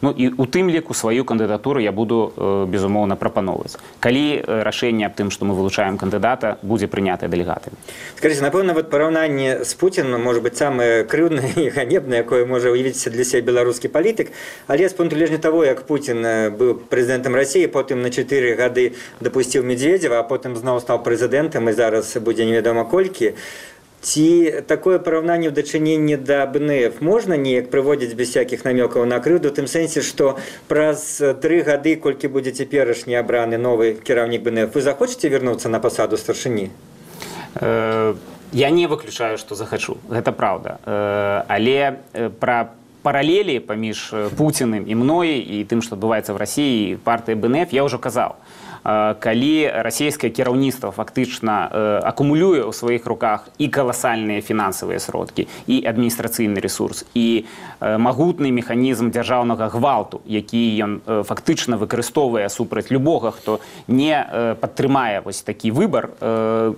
Ну і у тым ліку сваю кандыдатуру я буду, безумоўна, прапаноўваць. Калі рашэнне аб тым, што мы вылучаем кандыдата, будзе прынятае дэлегатамі. Скажите, напэўна, вот параўнанне з Пуціным может быть самое крыўнае і ганебнае, якое можа уявіць для сябе беларускі палітык, але з пункту гледжання того, як Путін быў прэзідэнтам Расіі, потым на 4 гады дапусціў Медведзева, а потым зноў стаў прэзідэнтам і зараз будзе невядома колькі. Ці такое параўнанне ў дачыненні да БНФ можна неяк прыводзіць без всякіх намёкаў на крыўду, у тым сэнсе, што праз 3 гады, колькі будзе цяперашні абраны новы кіраўнік БНФ, вы захочаце вярнуцца на пасаду старшыні? Я не выключаю, што захачу, гэта праўда. Але пра паралелі паміж Пуціным і мной і тым, што адбываецца ў Расіі, партыі БНФ, я ўжо казаў. Калі расійскае кіраўніцтва фактычна акумулюе ў сваіх руках і каласальныя фінансавыя сродкі, і адміністрацыйны ресурс, і магутны механізм дзяржаўнага гвалту, які ён фактычна выкарыстоўвае супраць любога, хто не падтрымае вось такі выбар,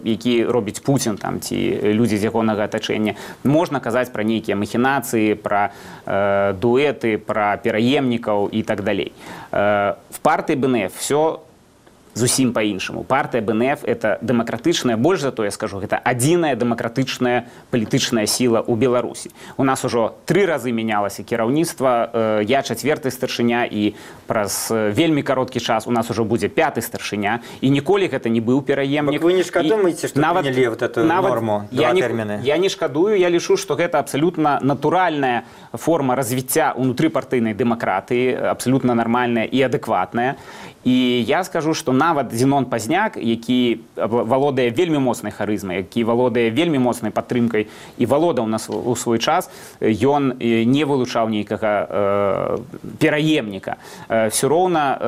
які робіць Пуцін там, ці людзі з ягонага атачэння, можна казаць пра нейкія махінацыі, пра дуэты, пра пераемнікаў і так далей. В партыі БНФ все зусім по-іншаму. Партыя БНФ – это дэмакратычная, больш за то я скажу, гэта адзіная дэмакратычная палітычная сіла ў Беларусі. У нас ужо 3 разы мянялася кіраўніцтва, я 4-й старшыня, і праз вельмі кароткі час у нас ужо будзе 5-й старшыня, і ніколі гэта не быў пераемнік. Вы не шкадуеце, што прынялі вот эту норму, 2 тэрміны? Я не шкадую, я лічу, што гэта абсалютна натуральная форма развіцця ўнутрыпартыйнай дэмакратыі, абсалютна нармальная і адэкватная. І я скажу, што нават Зінон Пазняк, які валодае вельмі моцнай харызмай, які валодае вельмі моцнай падтрымкай і валодаў у свой час, ён не вылучаў нейкага пераемніка. Все роўна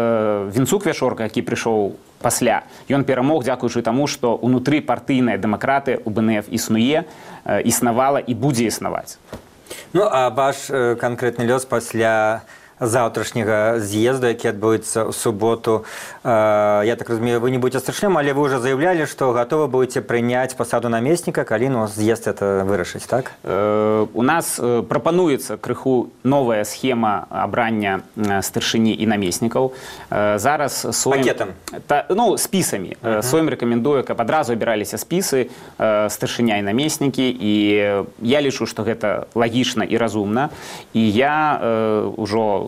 Вінцук Вяшорка, які прыйшоў пасля, ён перамог дзякуючы таму, што ўнутрыпартыйная дэмакратыя ў БНФ існуе, існавала і будзе існаваць. Ну, а ваш канкрэтны лёс пасля заўтрашняга з'езду, які адбудзецца ў суботу. Я так разумею, вы не будете старшынём, але вы уже заявлялі, што гатовы будете прыняць пасаду намесніка, калі з'езд это вырашыць, так? У нас прапануецца крыху новая схема абрання старшыні і намеснікаў. Зараз пакетам? Ну, спісамі. Сойм рэкамендуе, каб адразу абіраліся спісы старшыня і намеснікі, і я лічу, што гэта лагічна і разумна. І я ўжо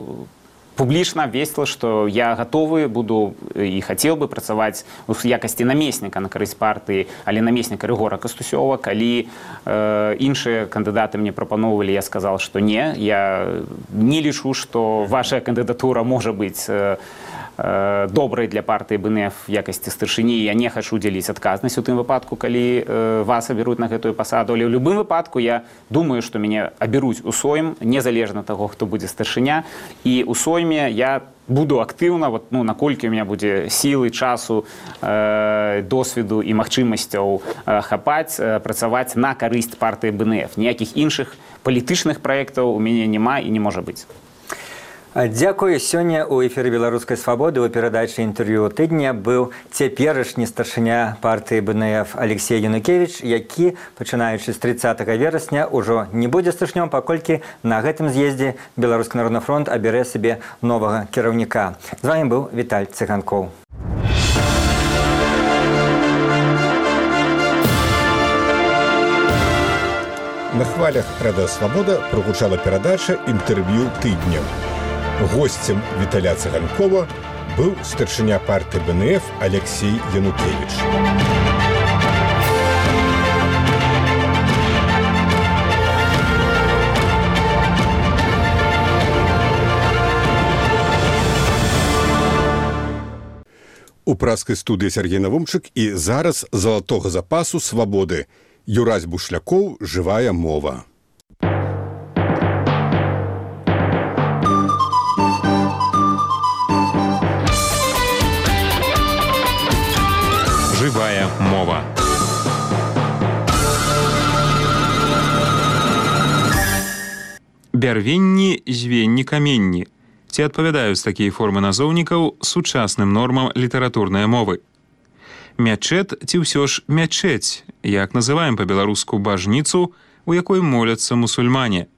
публічна абвесціла, што я гатовы буду і хацеў бы працаваць у якасці намесніка на карысць партыі, але намесніка Рыгора Кастусёва. Калі іншыя кандыдаты мне прапаноўвалі, я сказаў, што не. Я не лічу, што ваша кандыдатура можа быць добрай для партыі БНФ в якасці старшыні. Я не хачу дзяліць адказнасць у тым выпадку, калі вас абяруць на гэтую пасаду. Але ў любым выпадку я думаю, што мяне абяруць у Сойм, незалежна таго, хто будзе старшыня. І ў Сойме я буду актыўна, наколькі у меня будзе сілы, часу, досведу і магчымасцяў хапаць, працаваць на карысць партыі БНФ. Ніякіх іншых палітычных праектаў у мяне няма і не можа быць. Дзякую. Сёння ў эфіры «Беларускай свабоды» у перадачы інтэрв'ю тыдня быў цяперашні старшыня партыі БНФ Алексей Янукевіч, які, пачынаючы з 30 верасня, ужо не будзе старшынём, паколькі на гэтым з'ездзе Беларускі народны фронт абярэ сабе новага кіраўніка. З вамі быў Віталь Цыганкоў. На хвалях «Радыё Свабода» прогучала перадача «Інтэрв'ю тыдня». Госцем Віталя Цыганкова быў старшыня партыі БНФ Алексей Янукевіч. У праскай студыі Сергей Навумчык і зараз залатога запасу свабоды. Юрась Бушлякоў, «Жывая мова». Жывая мова. Бярвенні, звенні, каменні. Ці адпавядаюць такія формы назоўнікаў сучасным нормам літаратурнай мовы? Мячэт ці ўсё ж мячэць, як называем па-беларуску бажніцу, у якой моляцца мусульмане?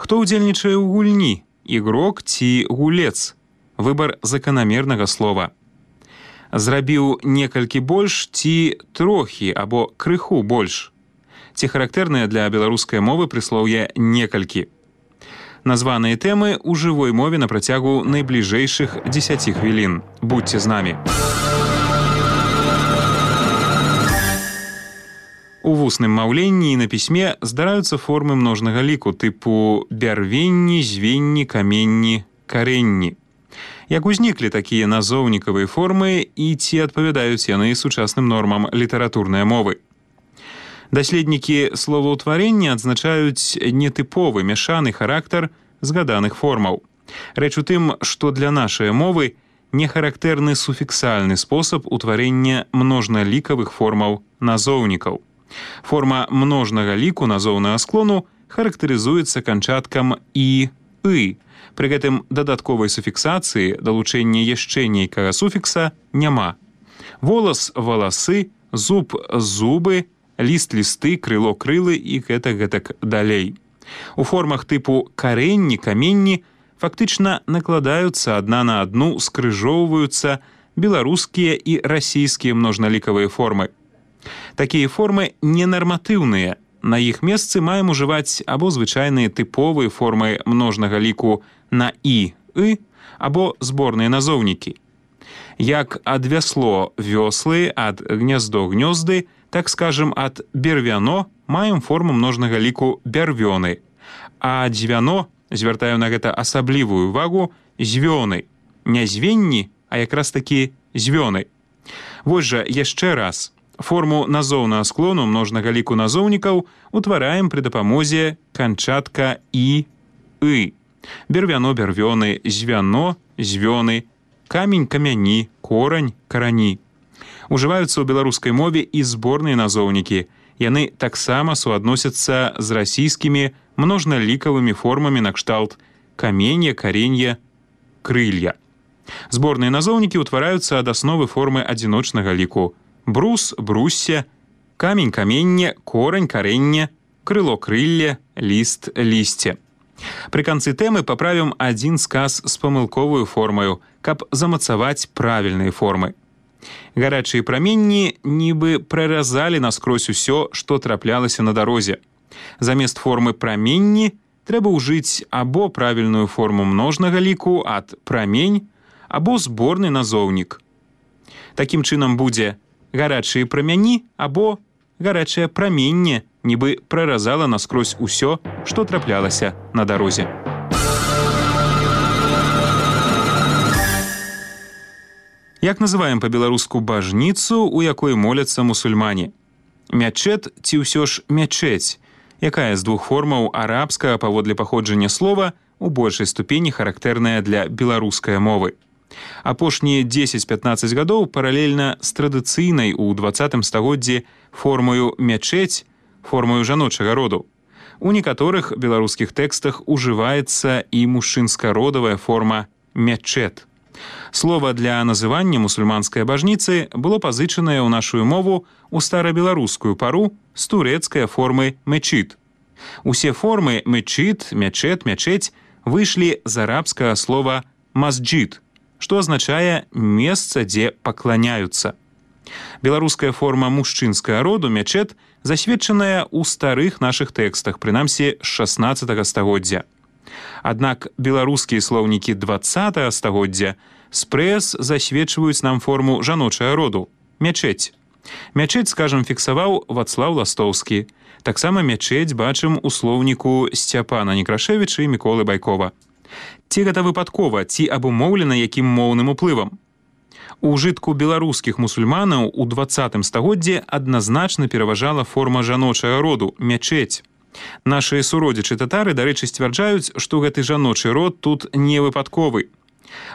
Хто ўдзельнічае ў гульні? ігрок ці гулец. Выбар заканамернага слова. Зрабіў некалькі больш ці трохі або крыху больш. Ці характэрныя для беларускай мовы прыслоўе некалькі. Названыя тэмы ў жывой мове на працягу найбліжэйшых 10 хвілін. Будьце з намі. У вусным маўленні і на пісьме здараюцца формы множнага ліку тыпу бярвенні, звенні, каменні, карэнні. Як узніклі такія назоўнікавыя формы і ці адпавядаюць яны сучасным нормам літаратурнай мовы? Даследнікі словаўтварення адзначаюць нетыповы мяшаны характар згаданых формаў. Рэч у тым, што для нашай мовы не характэрны суфіксальны спосаб утварення множналікавых формаў назоўнікаў. Форма множнага ліку назоўнага склону характарызуецца канчаткам «і», «ы». Пры гэтым дадатковай суфіксацыі далучэння яшчэ нейкага суфікса няма. Волас – валасы, зуб – зубы, ліст – лісты, крыло – крылы і гэтак далей. У формах тыпу карэнні, каменні фактычна накладаюцца адна на адну, скрыжоўваюцца беларускія і расійскія множналікавыя формы. Такія формы ненарматыўныя. На іх месцы маем ужываць або звычайныя тыповыя формы множнага ліку на «і», «ы», або зборныя назоўнікі. Як ад вясло – вёслы, ад гняздо – гнёзды, так скажем, ад бервяно маем форму множнага ліку бярвёны, а дзвяно, звяртаю на гэта асаблівую увагу, звёны. Не звенні, а якраз такі звёны. Вось жа яшчэ раз. Форму назоўнага склону множнага ліку назоўнікаў утвараем пры дапамозе канчатка «і», «ы». Бервяно – бярвёны, звяно – звёны, камень – камяні, корань – карані. Ужываюцца ў беларускай мове і зборныя назоўнікі. Яны таксама суадносяцца з расійскімі множналікавымі формамі накшталт каменья, каренья, крылья. Зборныя назоўнікі ўтвараюцца ад асновы формы адзіночнага ліку. Брус, брусся, камень, каменне, корань, карэнне, крыло, крылле, ліст, лісце. Пры канцы тэмы паправім адзін сказ з памылковую формаю, каб замацаваць правільныя формы. Гарачыя праменні нібы праразалі наскрозь усё, што траплялася на дарозе. Замест формы праменні трэба ўжыць або правільную форму множнага ліку ад прамень, або зборны назоўнік. Такім чынам будзе гарачыя прамяні або гарачае праменне, нібы праразала наскрозь усё, што траплялася на дарозе. Як называем па-беларуску бажніцу, у якой моляцца мусульмане? Мячэт ці ўсё ж мячэць, якая з двух формаў арабскага паводле паходжання слова у большай ступені характэрная для беларускай мовы. Апошнія 10-15 гадоў паралельна з традыцыйнай у 20 стагоддзі формаю мячэць, формаю жаночага роду. У некаторых беларускіх тэкстах ужываецца і мужчынска-родавая форма мячэт. Слова для называння мусульманскай бажніцы было пазычанае ў нашу мову ў старабеларускую пару з турэцкай формы мечит. Усе формы мечит, мячэт, мячэць выйшлі з арабскага слова масджид, што азначае месца, дзе пакланяюцца. Беларуская форма мужчынскага роду мячэт засведчаная ў старых нашых тэкстах, прынамсі з 16 стагоддзя. Аднак беларускія слоўнікі 20 стагоддзя спрэс засведчваюць нам форму жаночага роду мячэць. Мячэць, скажам, фіксаваў Вацлаў Ластоўскі. Таксама мячэць бачым у слоўніку Сцяпана Некрашевіча і Міколы Байкова. Ці гэта выпадкова, ці абумоўлена якім моўным уплывам? У ўжытку беларускіх мусульманаў у 20 стагоддзі адназначна пераважала форма жаночага роду мячэць. Нашыя суродзічы татары, дарэчы, сцвярджаюць, што гэты жаночы род тут не выпадковы.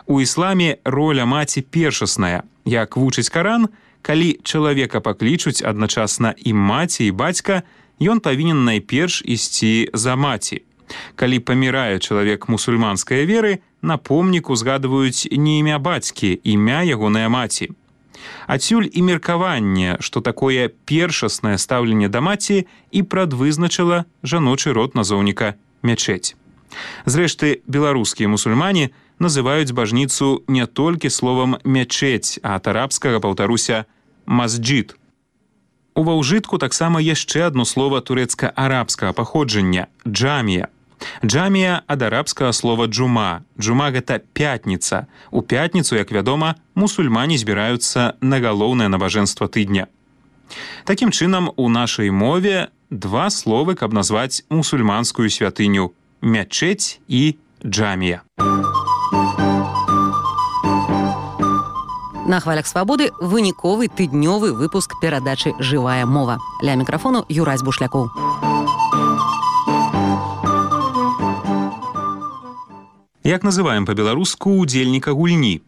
У ісламе роля маці першасная. Як вучыць Каран, калі чалавека паклічуць адначасна і маці, і бацька, ён павінен найперш ісці за маці. Калі памірае чалавек мусульманскай веры, на помніку згадваюць не імя бацькі, імя ягонай маці. Адсюль і меркаванне, што такое першаснае стаўленне да маці і прадвызначыла жаночы род назоўніка мячэць. Зрэшты, беларускія мусульмане называюць бажніцу не толькі словам «мячэць», а ад арабскага, паўтаруся, «масджид». Ува ўжытку таксама яшчэ адно слова турэцка-арабскага паходжання – «джамія». Джамія ад арабскага слова «джума». Джума – гэта пятніца. У пятніцу, як вядома, мусульмане збіраюцца на галоўнае набажэнства тыдня. Такім чынам, у нашай мове два словы, каб назваць мусульманскую святыню – мячэць і джамія. На хвалях свабоды выніковы тыднёвы выпуск перадачы «Жывая мова». Ля мікрафону Юрась Бушлякоў. Як называем па-беларуску удзельніка гульні?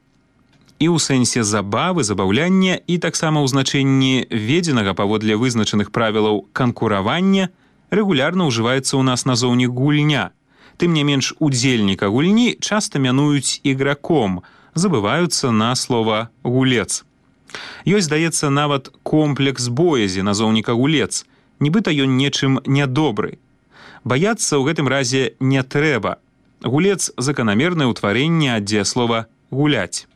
І ў сэнсе забавы, забаўляння, і таксама ў значэнні введзенага паводле вызначаных правілаў канкуравання рэгулярна ўжываецца ў нас назоўнік гульня. Тым не менш, удзельніка гульні часта мянуюць іграком, забываюцца на слова «гулец». Ёсць, здаецца, нават комплекс боязі назоўніка «гулец», нібыта ён нечым нядобры. Баяцца ў гэтым разе не трэба. Гулец – заканамернае ўтварэнне ад дзеяслова «гуляць».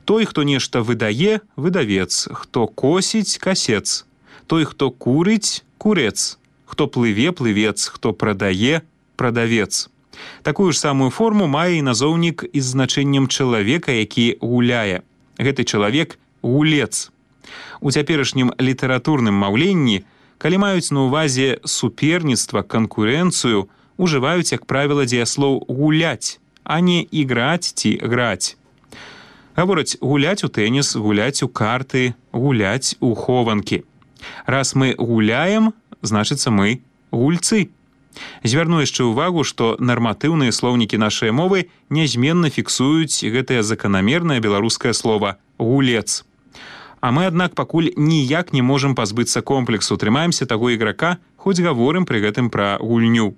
Той, хто нешта выдае – выдавец, хто косіць – касец, той, хто курыць – курец, хто плыве – плывец, хто прадае – прадавец. Такую ж самую форму мае і назоўнік з значэннем чалавека, які гуляе. Гэты чалавек – гулец. У цяперашнім літаратурным маўленні, калі маюць на ўвазе суперніцтва, канкурэнцыю, ужываюць, як правіла, дзеяслоў «гуляць», а не «іграць» ці «граць». Гавораць гуляць у тэніс, гуляць у карты, гуляць у хованкі. Раз мы гуляем, значыцца мы гульцы. Звярну яшчэ ўвагу, што нарматыўныя слоўнікі нашай мовы нязменна фіксуюць гэтае заканамернае беларускае слова «гулец». А мы, аднак, пакуль ніяк не можам пазбыцца комплексу, трымаемся таго іграка, хоць гаворым пры гэтым пра гульню.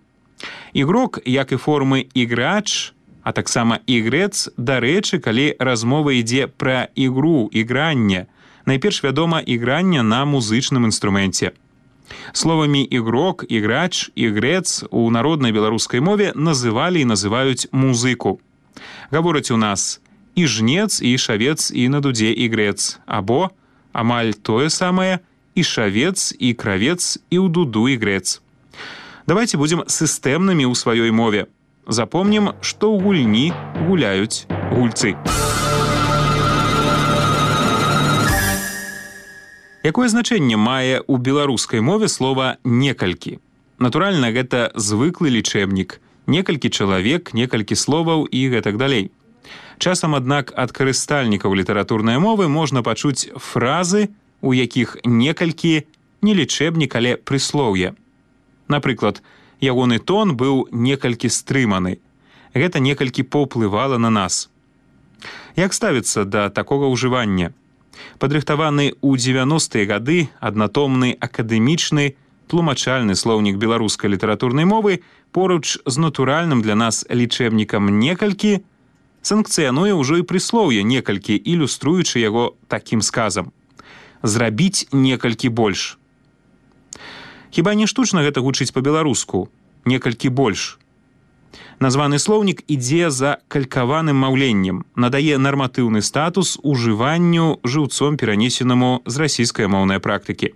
Ігрок, як і формы «іграч», а таксама «ігрэц», дарэчы, калі размова ідзе пра ігру, ігранне, найперш вядома ігранне на музычным інструменце. Словамі «ігрок», «іграч», «ігрэц» у народнай беларускай мове называлі і называюць музыку. Гавораць у нас і жнец, і шавец, і на дудзе ігрэц, або амаль тое самае і шавец, і кравец, і ў дуду ігрэц. Давайте будзем сістэмнымі ў сваёй мове. Запомнім, што ў гульні гуляюць гульцы. Якое значэнне мае ў беларускай мове слова «некалькі»? Натуральна, гэта звыклы лічэбнік. Некалькі чалавек, некалькі словаў і гэтак далей. Часам, аднак, ад карыстальнікаў літаратурнай мовы можна пачуць фразы, у якіх некалькі не лічэбнік, але прыслоўе. Напрыклад, ягоны тон быў некалькі стрыманы. Гэта некалькі паўплывала на нас. Як ставіцца да такога ўжывання? Падрыхтаваны ў 90-е гады аднатомны акадэмічны тлумачальны слоўнік беларускай літаратурнай мовы поруч з натуральным для нас лічэбнікам «некалькі» санкцыянуе ўжо і прыслоўе «некалькі», ілюструючы яго такім сказам: «Зрабіць некалькі больш». Хіба не штучна гэта гучыць па-беларуску? «Некалькі больш». Названы слоўнік ідзе за калькаваным маўленнем, надае нарматыўны статус ужыванню жыўцом перанесенаму з расійскай моўнай практыкі.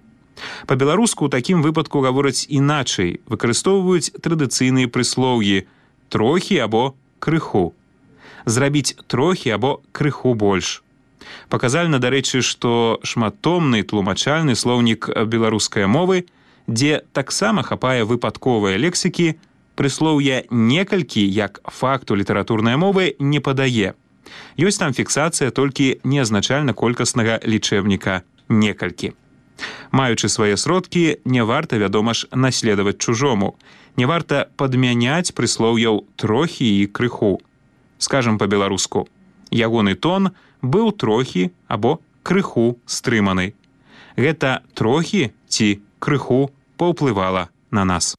Па-беларуску ў такім выпадку гавораць іначай, выкарыстоўваюць традыцыйныя прыслоўі «трохі» або «крыху». Зрабіць трохі або крыху больш. Паказальна, дарэчы, што шматтомны тлумачальны слоўнік беларускай мовы, дзе таксама хапае выпадковыя лексікі, прыслоўе «некалькі» як факту літаратурнай мовы не падае. Ёсць там фіксацыя толькі неазначальна-колькаснага лічэбніка «некалькі». Маючы свае сродкі, не варта, вядома ж, наследаваць чужому. Не варта падмяняць прыслоўяў «трохі» і «крыху». Скажам па-беларуску: ягоны тон быў трохі або крыху стрыманы. Гэта трохі ці крыху паўплывала на нас.